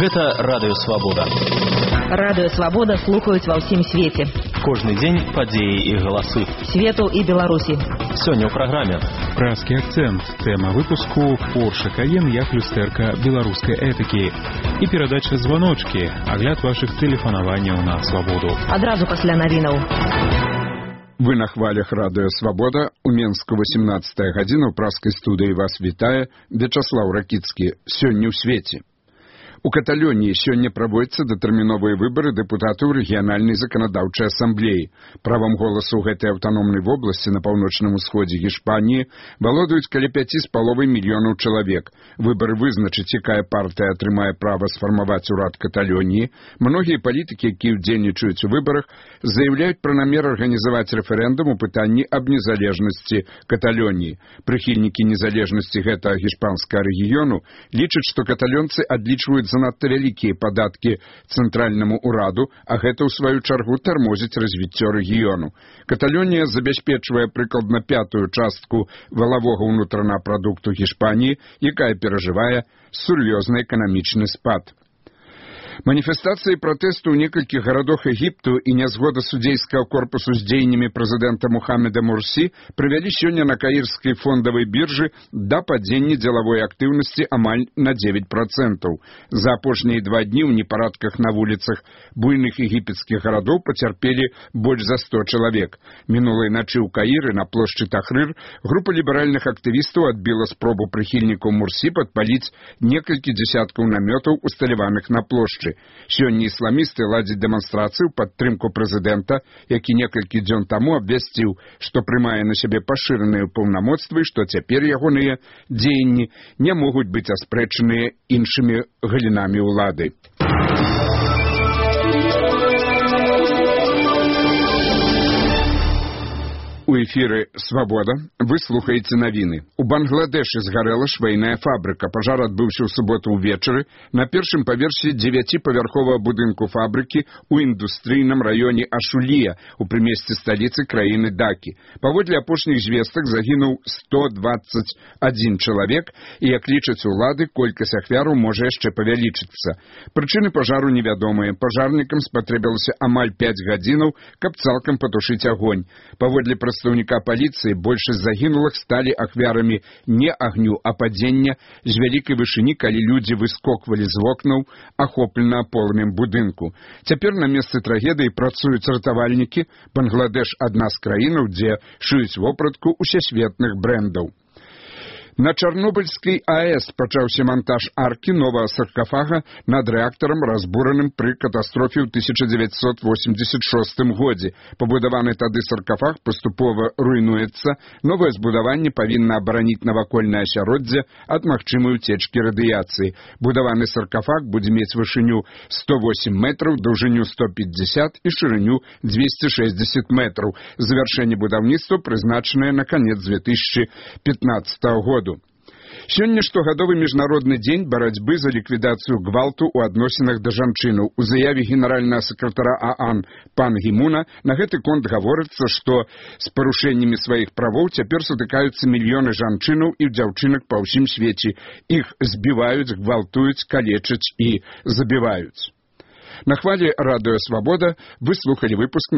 Гэта радыёвабода. Радыёвабода слухаюць ва ўсім свеце. Кожны дзень падзеі і галасы. Свету і Беларусі. Сёння ў праграме. Пражскі акцэнт. Тэма выпуску «Порше Каен як люстэрка беларускай этыкі». І перадача «Званочкі». Агляд вашых тэлефанаванняў на свабоду. Адразу пасля навінаў. Вы на хвалях радыё «Свабода». У Менску 18-я гадзіна. У пражскай студыі вас вітае Вячаслаў Ракіцкі. Сёння ў свеце. У Каталоніі сёння праводзяцца датэрміновыя выбары дэпутатаў рэгіянальнай заканадаўчай асамблеі. Правам голасу ў гэтай аўтаномнай вобласці на паўночным усходзе Гішпаніі валодаюць каля 5,5 мільёнаў чалавек. Выбары вызначаць, якая партыя атрымае права сфармаваць урад Каталоніі. Многія палітыкі, якія ўдзельнічаюць у выбарах, заяўляюць пра намер арганізаваць рэферэндум у пытанні аб незалежнасці Каталоніі. Прыхільнікі незалежнасці гэтага гішпанскага рэгіёну лічаць, што каталонцы адлічваюць занадта вялікія падаткі цэнтральнаму ўраду, а гэта, ў сваю чаргу, тармозіць развіццё рэгіёну. Каталонія забяспечвае прыкладна 1/5 частку валавога ўнутранага прадукту Гішпаніі, якая перажывае сур'ёзны эканамічны спад. Маніфестацыі пратэсту ў некалькіх гарадах Егіпту і нязгода судзейскага корпусу з дзеяннямі прэзідэнта Мухаммеда Мурсі прывялі сёння на каірскай фондавай біржы да падзення дзелавой актыўнасці амаль на 9%. За апошнія 2 дні ў непарадках на вуліцах буйных егіпецкіх гарадоў пацярпелі больш за 100 чалавек. Мінулай начы ў Каіры на плошчы Тахрыр група ліберальных актывістаў адбіла спробу прыхільнікаў Мурсі падпаліць некалькі дзясяткаў намётаў, усталяваных на плошчы. Сёння ісламісты ладзяць дэманстрацыю ў падтрымку прэзідэнта, які некалькі дзён таму абвясціў, што прымае на сябе пашыраныя паўнамоцтвы, што цяпер ягоныя дзеянні не могуць быць аспрэчаныя іншымі галінамі ўлады. У эфіры «Свабода» вы слухаеце навіны. У Бангладэшы згарэла швейная фабрыка. Пажар адбыўся ў суботу ўвечары на першым паверсе 9-павярховага будынку фабрыкі ў індустрыйным раёне Ашулія у прымесці сталіцы краіны Дакі. Паводле апошніх звестак загінуў 121 чалавек, і, як лічаць улады, колькасць ахвяраў можа яшчэ павялічыцца. Прычыны пажару невядомыя. Пажарнікам спатрэбілася амаль 5 гадзінаў, каб цалкам патушыць агонь. Паводле прадстаўніка паліцыі, большасць загінулых сталі ахвярамі не агню, а падзення з вялікай вышыні, калі людзі выскоквалі з вокнаў ахопленага полымем будынку. Цяпер на месцы трагедыі працуюць ратавальнікі. Бангладэш – адна з краінаў, дзе шыюць вопратку усесветных брэндаў. На Чарнобыльскай АЭС пачаўся монтаж аркі новага саркафага над рэактарам, разбураным пры катастрофе ў 1986 годзе. Пабудаваны тады саркафаг паступова руйнуецца. Новае збудаванне павінна абараніць навакольнае асяроддзе ад магчымай уцечкі радыяцыі. Будаваны саркафаг будзе мець вышыню 108 метраў, даўжыню 150 і шырыню 260 метраў. Завяршэнне будаўніцтва прызначанае на канец 2015 года. Сёння штогадовы міжнародны дзень барацьбы за ліквідацыю гвалту ў адносінах да жанчынаў. У заяве генеральнага сакратара ААН Пан Гі Муна на гэты конт гаворыцца, што з парушэннямі сваіх правоў цяпер сутыкаюцца мільёны жанчынаў і дзяўчынак па ўсім свеце. Іх збіваюць, гвалтуюць, калечаць і забіваюць. На хвалі радыё «Свабода» вы слухалі выпуск